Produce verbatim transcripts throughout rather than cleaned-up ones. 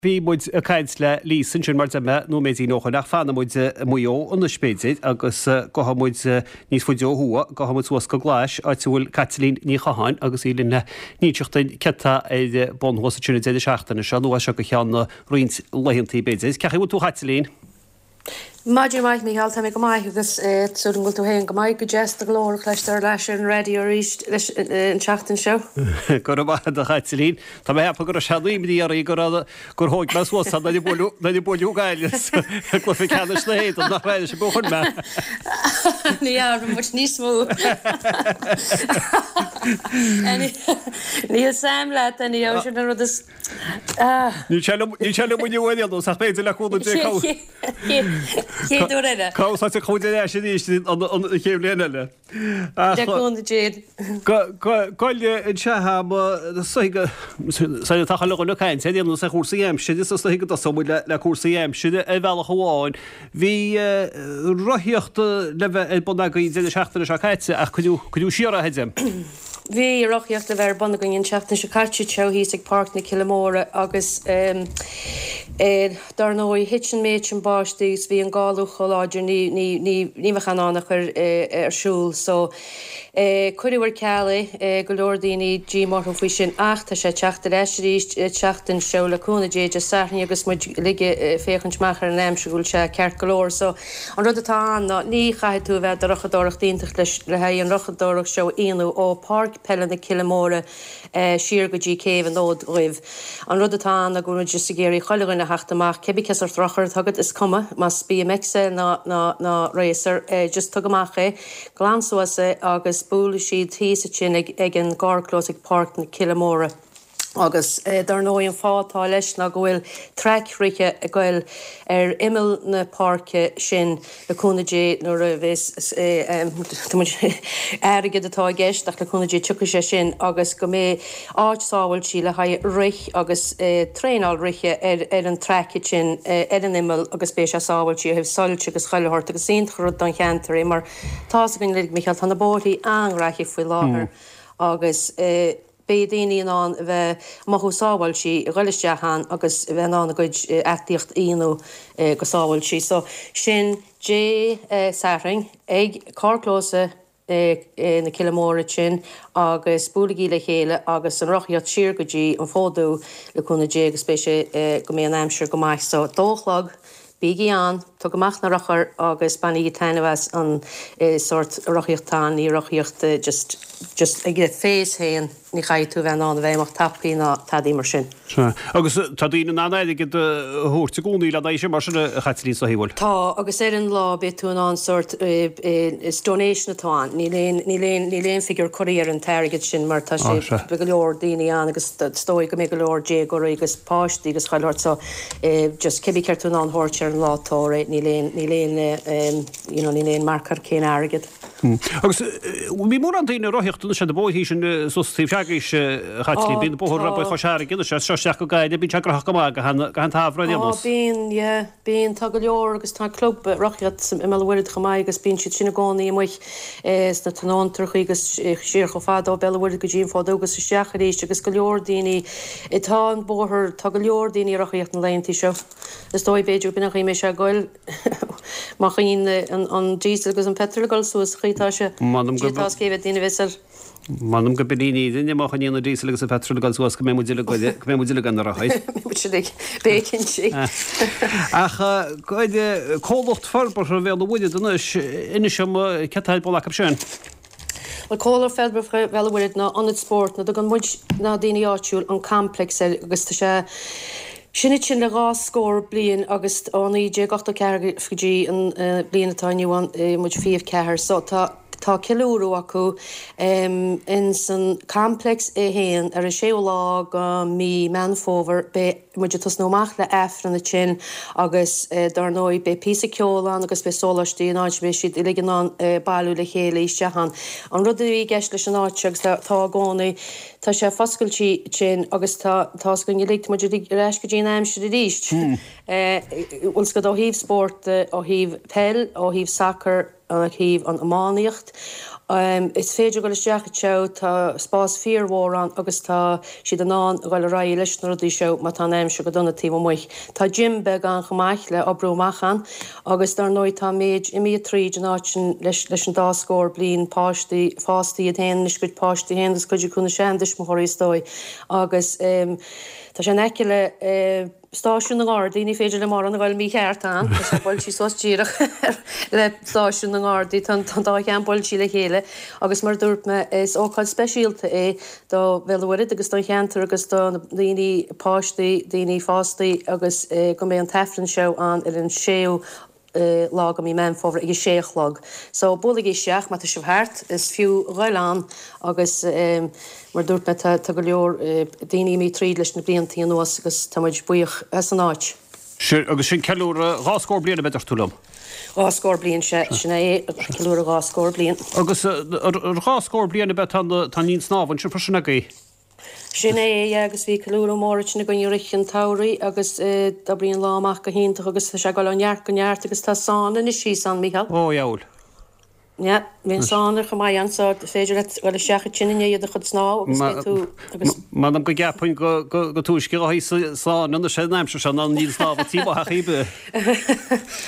Bhí muid ag caint le Lisa ansin mar deir mé nóiméidín ó shin ach fanfaidh muid i Maigh Eo anois b'fhéidir agus gabhfaidh muid níos faide ó thuaidh, gabhfaidh muid suas go Glais áit a bhfuil Caitlín Ní Chatháin agus í linn le n-inseacht dúinn céard atá ar bun thuas ansin an deireadh seachtaine seo nó as seo go ceann roinnt laethantaí b'fhéidir. Cén chaoi a bhfuil tú a Chaitlín? Maidin mhaith Mícheál, tá mé go maith agus súil agam go bhfuil tú féin go maith. Go deas do ghlór a chloisteáil ar ais ar an raidió arís leis an tseachtain seo. Go raibh maith agat a Chaitlín. Tá mé ag ceapadh go raibh sean-imní oraibh go raibh gur thóg mé suas nuair a buaileadh nuair a buaileadh Gaillimh i gcluiche ceannais na hÉireann nach raibh sé chun mé. Ní fhearr muid níos mó. Níl Sam leat anyhow sin an rud is Níl sé liom níl sé liom inniu ar aon nós ach b'fhéidir le cúnamh Dé Chéad uair eile. Cá úsáidte chuid ar ais arís an chéad bhliain eile. Le cúnamh Dé. Goile anseo am sa tá chuile dhuine ag caint ar aon nós ar chúrsaí aimsire is is go dtosóidh muid le cúrsaí aimsire ar bhealach amháin. Bhí rothaíocht le bheith ar bun againn deireadh seachtaine seo caite ach cuireadh siar é a deirim. Bhí rothaíocht le bheith ar bun againn an tseachtain seo caite seo thíos ag Páirc na Cille Móire agus dar ndóigh thit an méid sin báistí agus bhí an gála chomh láidir ní ní ní ní bheadh in ann a chur ar siúl so cuireadh ar ceal é go leor daoine díomá orthu faoi sin ach tá sé teacht ar ais arís tseachtain seo le cúnamh Dé Dé Sathairn agus muid uilig ag féachaint amach ar an aimsir go bhfuil sé ceart go leor so an rud atá ann ná ní chaithfidh tú a bheith do rothaíocht iontach leis le haghaidh an rothaíocht seo a dhéanamh ó Páirc Peile na Cille Móire siar go dtí Céibh an Fhóid Dhuibh. An rud atá ann ná go bhfuil muid just ag iarraidh chuile dhuine a theacht amach cibé cén sórt rothar atá agat is cuma más BMX é ná ná ná racer just tug amach é, glan suas é agus buailfidh siad thíos ansin ag ag an gcarrchlós ag Páirc na Cille Móire. Agus dar ndóigh an fáth atá leis ná go bhfuil traic rite ag goil ar imeall na páirce sin le cúnamh Dé nuair a bheas muid airgead atá i gceist ach le cúnamh Dé tiocfaidh sé sin agus go mbeidh áit sábháilte le haghaidh rith agus traenáil rite ar ar an traic sin ar an imeall agus beidh sé sábháilte ó thaobh soilse agus chuile shórt agus iontach rud don cheantar é mar tá's againn uilig Micheál tá na bóithrí an-ghraithí faoi láthair agus beidh daoine in ann a bheith mothú sábháilte a ghoil isteach ann agus a bheith in ann a gcuid aclaíocht a dhéanamh go sábháilte. So sin Dé Sathairn ag carrchlós na Cille Móire sin agus buailigí le chéile agus an rothaíocht siar go dtí an Fód Dubh le cúnamh Dé agus beidh sé go mbeidh an aimsir go maith. So dó a chlog, bígí ann, tug amach na rothair agus bainigí taitneamh as an sórt rothaíocht ann, ní rothaíocht just just ag féas féin, ní chaithfidh tú a bheith in ann a bheith amach tapaí ná tadaí mar sin. Sea. Agus tá daoine in ann airgead a thabhairt i gcónaí le n-aghaidh sin mar sin a Chaitlín sa bhfuil? Tá, agus ar an lá beidh tú in ann sórt is donation atá ann, níl aon níl aon níl aon figiúr curtha ar an t-airgead sin mar tá sé beidh go leor daoine ann agus is dóigh go mbeidh go leor déagóirí agus páistí agus chuile shórt so just cibé céard tú in ann a thabhairt ar an lá tabhair é, níl aon níl aon you know níl aon marc ar cén airgead. Agus bhí mórán daoine ag rothaíocht anois ar na bóithrí sin suas taobh s'agaibhse a Chaitlín, bíonn na bóithre Tá. Chois Fharraige anois as seo isteach go Gaillimh, bíonn sé graitheach go maith gach aon tsamhradh ar aon Á nós. bíonn, yeah, bíonn, tá go leor agus tá club rothaíocht i mBéal an Mhuirthead chomh maith agus bíonn siad sin i gcónaí amuigh sna tionóntrachaí agus siar chomh fada ó Béal an Mhuirthead go dtí an Fód Dubh agus isteach arís agus go leor daoine, tá an bóthar, tá go leor daoine ag rothaíocht na laethantaí seo. Is dóigh b'fhéidir b'in an chaoi a mbeidh sé ag goil má choinníonn an diesel agus an petrol ag dul suas chaoi tá sé M'anam go tá cé mhéad daoine a bheas ar M'anam go b'in í an fhírinne má choinníonn an diesel agus an petrol ag dul suas go mbeidh muid uilig go mbeidh muid uilig ar na rothair. Muid uilig b'éigean sí. Ach comhlacht forbartha Bhéal an Mhuirthead anois, inis dom céard atá ar bun acu sin. Bhuel Comhlacht Forbartha Bhéal an Mhuirthead ná ionad spóirt nó tugann muid na daoine áitiúil an complex air agus tá sé sin ansin le dhá scór bliain agus ó naoi déag ochtó ceathair go dtí an bliain atá inniu ann muid fiche ceathair so tá tá ceiliúradh acu in san complex é féin ar an séú lá go mí Meán Fómhair beidh muid ag tosnú amach le Aifreann ansin agus dar ndóigh beidh píosa ceoil ann agus beidh sóláistí in áit beidh siad uilig in ann bailiú le chéile isteach ann. An rud a bhí i gceist leis an áit seo agus tá i gcónaí tá sé foscailte ansin agus tá tá's againn uilig tá muid uilig ar ais go dtí an aimsir arís. Bhfuil 's agat ó thaobh spórt ó thaobh peil ó thaobh sacar ó thaobh an iománaíocht. Is féidir dul isteach anseo, tá spás fíormhór ann agus tá siad in ann a dhul ar aghaidh leis na rudaí seo má tá an aimsir go dona taobh amuigh. Tá gym beag ann chomh maith le oibriú amach ann agus dar ndóigh tá méid imithe tríd an áit sin leis leis an dá scór bliain, páistí fásta iad féin anois, cuid páistí féin agus cuid acu na seantuismitheoirí is dóigh agus tá sé in aice le Stáisiún na nGardaí, ní féidir le mórán a ghoil mícheart ann, tá sé buailtí suas díreach le Stáisiún na nGardaí, tá an dá cheann buailtí le chéile agus mar a dúirt mé, is ócáid speisialta é do Bhéal an Mhuirthead agus don cheantar agus do na daoine, páistí, daoine fástaí agus go mbeidh an tAifreann seo ann ar an séú lá de mí Meán Fómhair ag a sé a chlog. So buailigí isteach má tá sibh thart, is fiú a ghoil ann agus mar a dúirt mé tá tá go leor daoine imithe tríd leis na bliantaí anuas agus tá muid buíoch as an áit. Sin agus sin ceiliúradh dhá scór bliain ab ea, dúirt tú liom? Dhá scór bliain, sea, sin é, ceiliúradh dhá scór bliain. Agus ar dhá scór bliain ab ea tá an linn snámha ansin freisin agaibh? Sin é, yeah, agus bhí ceiliúradh mór ansin againn i rith an tsamhraidh agus d'oibrigh an lá amach go hiontach agus tá sé ag dul ó neart go neart agus tá sauna anois thíos ann, Mícheál. Ó, dheabhail. Yeah, bhí an sauna chomh maith ann so is féidir leat dul isteach ansin i ndiaidh do chuid snámh agus beidh tú agus. M'anam go gceapfainn go go túisce a thíos sa sauna anois an aimsir seo ná an linn snámha taobh amuigh ach iad.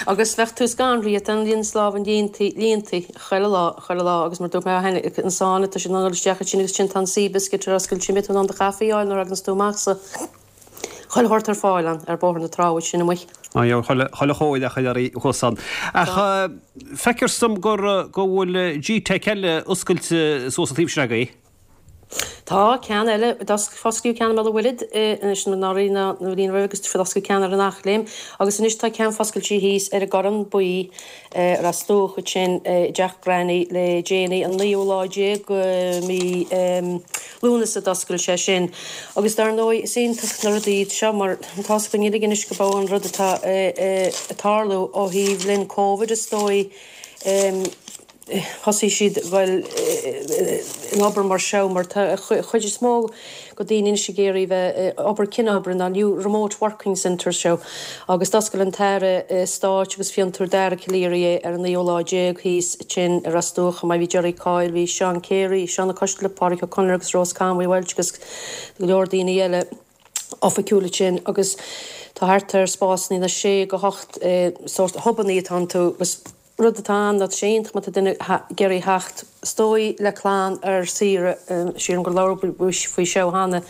Agus bheadh tú scanraithe, tá an linn snámha líontaí, líontaí. Chuile lá, chuile lá agus mar dúirt mé cheana, an sauna, tá siad in ann dul isteach ansin agus ansin tá an Seabiscuit ar oscailt, sin beidh tú in ann do chaife a fháil nuair a thaganns tú amach so chuile shórt ar fáil ann ar Bhóthar na Trá ansin amuigh. Á yeah, chuile, chuile chóir ach chuile earraí thuas ann. Ach feictear dom gur, go bhfuil G-Teic eile oscailte suas an taobh sin agaibh. Tá ceann eile, fosclaíodh ceann i mBéal an Mhuirthead anois anuraidh nó an bhliain roimhe agus fosclaíodh ceann ar an Eachléim agus anois tá ceann foscailte thíos ar an gCorrán Buí ar Ros Dumhach ansin i dteach Granny le déanaí, an naoú lá déag de mhí Lúnasa a d'oscail sé sin. Agus dar ndóigh is iontach na rudaí iad seo mar tá's againn uilig anois go b'é an rud atá ag tarlú ó thaobh linn Covid is dóigh, thosaigh siad ag goil in obair mar seo mar tá an chuid is mó go daoine anois ag iarraidh bheith ag obair cianobair na new remote working centres seo agus d'oscail an tAire Stáit agus Fiontar Dara Calleary é ar an naoú lá déag thíos ansin i Ros Dumhach chomh maith bhí Jerry Coyle, bhí Seán Carey, Seán Ó Coisdealbha, Pádraic Ó Conaire agus Rose Conway Walsh agus go leor daoine eile oifigiúil ansin agus tá thart ar spásanna na sé go hocht sórt hubannaí atá iontu agus Rud atá ann ná tá sé iontach má tá duine ag iarraidh theacht is dóigh le clann ar saoire, sílim gur labhair muid faoi seo cheana,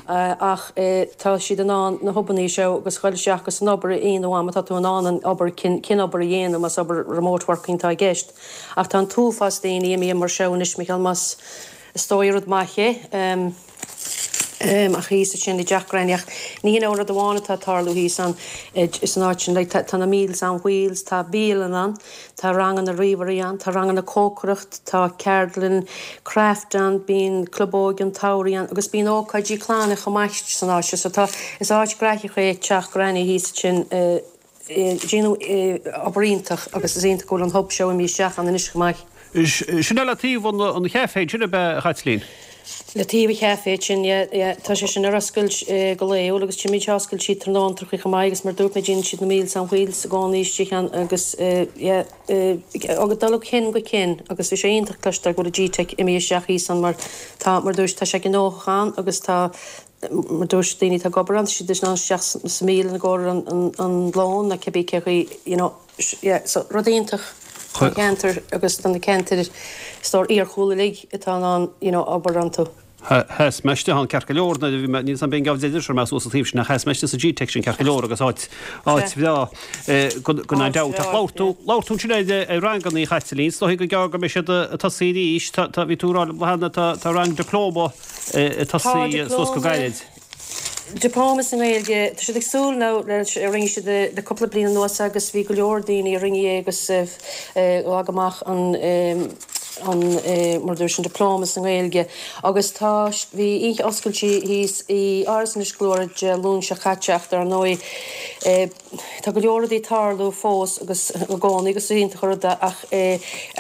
ach tá siad in ann na hubannaí seo agus dhul isteach agus an obair a dhéanamh má tá tú in ann an obair, cianobair a dhéanamh más obair remote working atá i gceist. Ach tá an t-uafás daoine imithe mar seo anois, Micheál, más is dóigh rud maith é. Ach thíos ansin i dteach Granny ach ní hin an rud amháin atá ag tarlú thíos ann san áit sin. Like tá na Meals on Wheels, tá bialann ann, tá ranganna ríomhairí ann, tá ranganna cócaireacht, tá ceardlann craft ann, bíonn club óige an tsamhraidh ann agus bíonn ócáidí clainne chomh maith san áit seo. So tá, is áit graitheach é teach Granny thíos ansin. Déanamh obair iontach agus is iontach go bhfuil an hub seo imithe isteach ann anois chomh maith. Sin é le taobh an chaifé sin ab ea, a Chaitlín? Le taobh an chaifé sin, yeah, yeah. Tá sé sin ar oscailt go laethúil agus tchímid oscailte tráthnóntachaí chomh maith agus mar dúirt mé déanann siad na Meals on Wheels i gcónaí istigh ann agus yeah, ag dul ó chionn go cionn agus bhí sé iontach cloisteáil go bhfuil an G-Teic imithe isteach thíos ann mar tá, mar dúirt, tá sé gnóthach ann agus tá, Mar dúirt daoine atá ag obair ann, tá siad in ann isteach sa mbialann i gcomhair an lón nó cibé cé chaoi, you know, yeah, so rud iontach don cheantar agus do na ceantair is dóigh iargúlta uilig atá in ann, you know, obair iontu. Sheas mé istigh ann ceart go leor nuair a bhí mé, níl 's a'm b'in gabh deir mé suas an taobh sin ach sheas mé istigh sa G-Teic sin ceart go leor agus áit, áit bhreá gan aon dabht. Ach labhair tú, labhair tú ansin ar ranganna a Chaitlín, is dóigh gur gearr go mbeidh siad ag tosaí arís, tá, tá, bhí tú ag rá liom cheana, tá, tá rang dioplóma ag tosaí suas go gairid. Dioplóma sa nGaeilge, tá siad ag súil now leis, rinne siad le cúpla bliain anuas agus bhí go leor daoine a rinne é agus ghlac amach an an mar a dúirt an dioplóma sa nGaeilge agus tá bhí oíche oscailte thíos i Áras Inis Gluaire Dé Luain seo caite ach dar ndóigh Tá go leor rudaí ag tarlú fós agus i gcónaí agus is iontach an rud é ach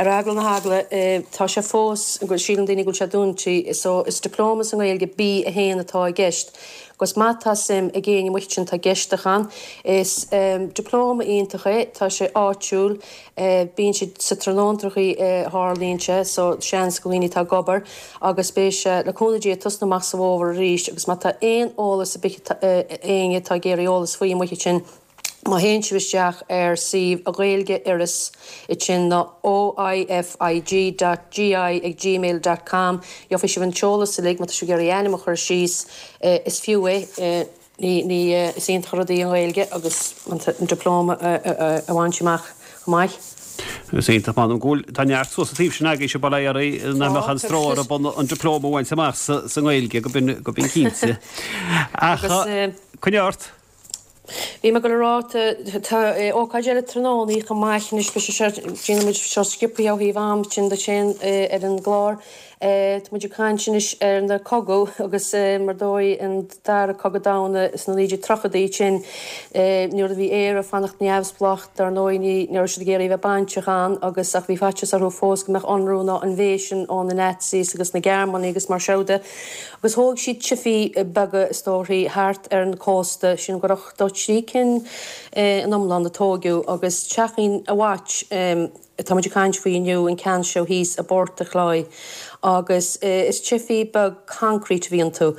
ar eagla na heagla tá sé fós, síleann daoine go bhfuil sé dúnta so is Dioplóma sa nGaeilge B a haon atá i gceist. Agus má tá suim ag éinne amuigh ansin atá ag éisteacht ann, is dioplóma iontach é, tá sé áitiúil, bíonn sé sa tráthnóntrachaí a tharlaíonn sé, so seans go dhaoine atá ag obair agus beidh sé le cúnamh Dé ag tosnú amach sa bhfómhar arís agus má tá aon eolas ar bith éinne atá ag iarraidh eolas faoi amuigh ansin, má théann sibh isteach ar suíomh Ghaeilge Iorrais ansin ná oifig dot gi ag gmail dot com gheobhaidh sibh an t-eolas uilig má tá sibh ag iarraidh ainm a chur síos is fiú é ní ní is iontach an rud í an Ghaeilge agus an dioplóma a bhaint amach chomh maith. Is iontach m'anam go bhfuil tá neart suas an taobh sin agaibhse bail ó Dhia oraibh nach mbeadh aon stró orthu an dioplóma a bhaint amach sa nGaeilge go b'in go b'in cinnte. Ach coinnigh ort. Bhí mé ag dul a rá, tá ócáid eile tráthnóna chomh maith anois, beidh sé seo, déanfaidh muid seo sciobtha ó thaobh am sin de sin ar an gclár. Tá muid ag caint anois ar na cogadh agus mar dóigh an dara cogadh domhanda sna naoi déag tríochaidí sin nuair a bhí Éire ag fanacht neamhspleách dar ndóigh ní raibh siad ag iarraidh a bheith bainteach ann agus ach bhí faitíos orthu fós go mbeadh ionradh nó invasion ó na Nazis agus na Gearmánaigh agus mar seo de. Agus thóg siad tifí beaga is dóichí thart ar an cósta, sin gur ochtó trí cinn in iomlán a tóigeadh agus Teachín a' Watch atá muid ag caint faoi inniu, an ceann seo thíos i bPort a' Chláí. Agus is tifí beag concrete a bhí iontu.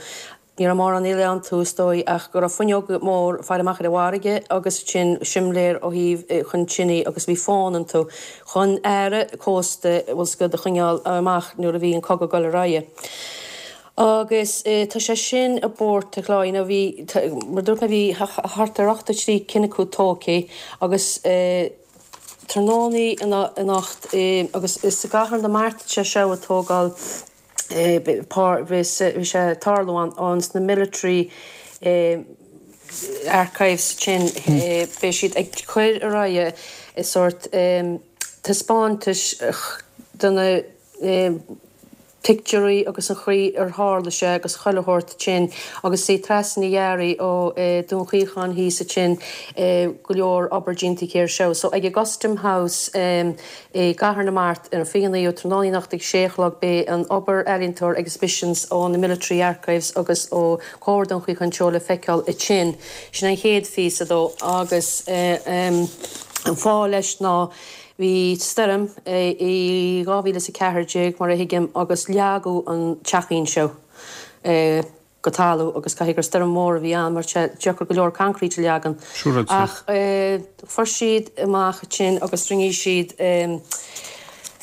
Ní raibh mórán eile iontu is dóigh ach go raibh fuinneog mór faire amach ar an bhfarraige agus ansin simléar ó thaobh chun tine agus bhí fón iontu chun aire cósta bhfuil 's agat a choinneáil amach nuair a bhí an cogadh ag dul ar aghaidh. Agus tá sé sin i bPort a' Chláí nó bhí, mar dúirt mé bhí thart ar ochtó trí cinn acu tógtha agus tráthnóna anocht agus is i gCathair na Mart sé seo ag tógáil bhí sé ag tarlú ann sna military archives sin beidh siad ag cur ar aghaidh sórt taispeántais de na pictiúirí agus an chaoi ar tharla sé agus chuile shórt sin agus sí Treasa Ní Fhearraigh ó Dún Chaocháin thíos ansin go leor obair déanta aici air seo. So ag an gCustom House i gCathair na Mart ar an fiche naoú tráthnóna anocht ag sé a chlog beidh an obair ealaíontóir exhibitions ó na Military Archives agus ó Comhar Dún Chaocháin Teo le feiceáil ansin. Sin an chéad phíosa dó agus an fáth leis ná Bhí stoirm i dhá mhíle is a ceathair déag, mar a thuigim, agus leagadh an teachín seo go talamh agus caithfidh gur stoirm mhór a bhí ann mar tá sé deacair go leor concrete a leagan. Ach fuair siad amach ansin agus rinne siad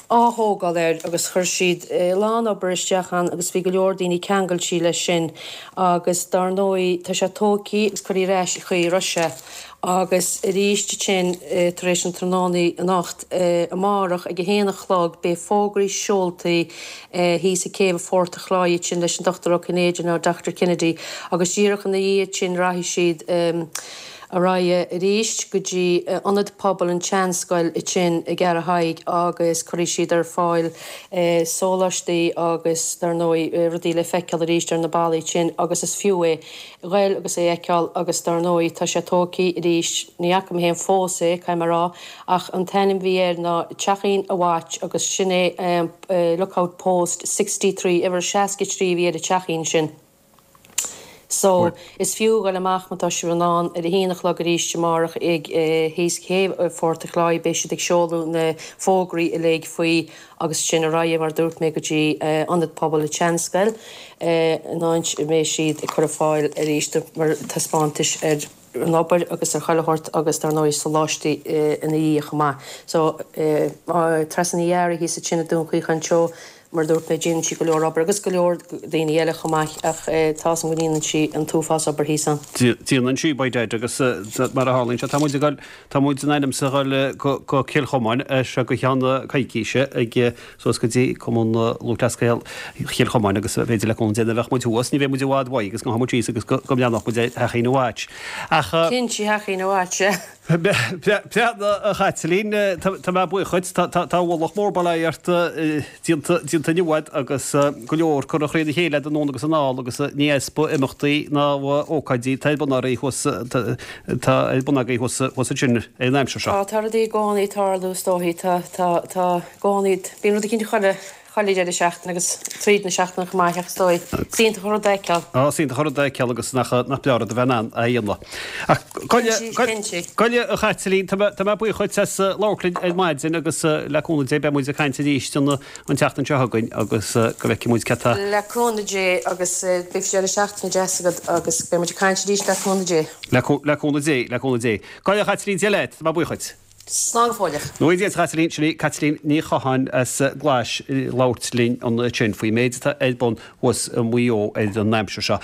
ath-thógáil air agus chuir siad a lán obair isteach ann agus bhí go leor daoine ceangailte leis sin agus dar ndóigh tá sé tógtha agus curtha ar ais an chaoi a raibh sé. Agus arís ansin, tar éis an tráthnóna anocht, amárach ag a haon a chlog, beidh fógraí seoltaí thíos ag céibh Phort a' Chláí ansin leis an Dochtúir Ó Cinnéide nó Doctor Kennedy agus díreach ina dhiaidh sin rachaidh siad ar aghaidh arís go dtí Ionad Pobail an tSeanscoil ansin i gCeathrú Thaidhg agus cuirfidh siad ar fáil sóláistí agus dar ndóigh rudaí le feiceáil arís ar na ballaí ansin agus is fiú é. ghoil agus é a fheiceáil agus dar ndóigh tá sé tógtha arís, ní fhaca mé féin fós é, caithfidh mé a rá, ach an t-ainm a bhí air ná Teachín a' Watch agus sin é Lookout Post sixty three, uimhir seasca trí a bhí ar an teachín sin. So, is fiú ghoil amach má tá sibh in ann ar a haon a chlog arís amárach ag thíos céibh Phort a' Chláí, beidh siad ag seoladh na fógraí uilig faoi agus sin ar aghaidh, mar a dúirt mé, go dtí Ionad Pobail an tSeanscoil, in áit a mbeidh siad ag cur ar fáil arís mar taispeántais ar an obair agus ar chuile shórt agus dar ndóigh soláistí ina dhiaidh chomh maith. So, Treasa Ní Fhearraigh thíos ansin i Dún Chaocháin Teo, mar a dúirt mé, déanann sí go leor obair agus go leor daoine eile chomh maith ach tá 'fhios a'm go ndéanann sí an t-uafás obair thíos ann. Déanann sí, by dad, agus mar a tharlaíonn sé, tá muid ag dul, tá muid in ainm 's a dhul go Cill Chomáin as seo go ceann coicíse ag suas go dtí Cumann Lúthchleas Gael Chill Chomáin agus b'fhéidir le cúnamh Dé nuair a bheadh muid thuas, ní bheidh muid i bhfad uaidh agus gabhfaidh muid síos agus go mbreathnódh muid ar Theachín a' Watch. Ach. Cinnte, Teachín a' Watch, yeah. Breathnaigh, a Chaitlín, tá mé buíoch dhuit, tá ualach mór bail ó Dhia ort déanta déanta inniu agat agus go leor curtha thrína chéile agat anonn agus anall agus ní easpa imeachtaí ná ócáidí atá ar bun oraibh thuas tá ar bun agaibh thuas thuas ansin ar an aimsir seo. Tá, tá rudaí i gcónaí ag tarlú is dóichí, tá, tá, tá i gcónaí, bíonn rud eicínt chuile, chuile deireadh seachtaine agus tríd na seachtaine chomh maith ach is dóigh. Is iontach an rud é a fheiceáil. Á, is iontach an rud é a fheiceáil agus nach nach breá rud a bheith in ann a dhéanamh. Ach Cinnte. Gabh i leith a Chaitlín, tá mé tá mé buíoch dhuit as labhairt linn ar maidin agus le cúnamh Dé beidh muid ag caint arís an an tseachtain seo chugainn agus go bhfeicfidh muid cad tá Le cúnamh Dé agus beidh deireadh seachtaine deas agat agus beidh muid ag caint arís le cúnamh Dé. Le le cúnamh Dé, le cúnamh Dé. Gabh i leith a Chaitlín, Dia leat, tá mé buíoch dhuit. Slán go fóilleach. Nó Dia duit a Chaitlín, sin í Caitlín Ní Chatháin as Glais ag labhairt linn ansin faoin méid atá ar bun thuas i Maigh Eo ar an aimsir seo.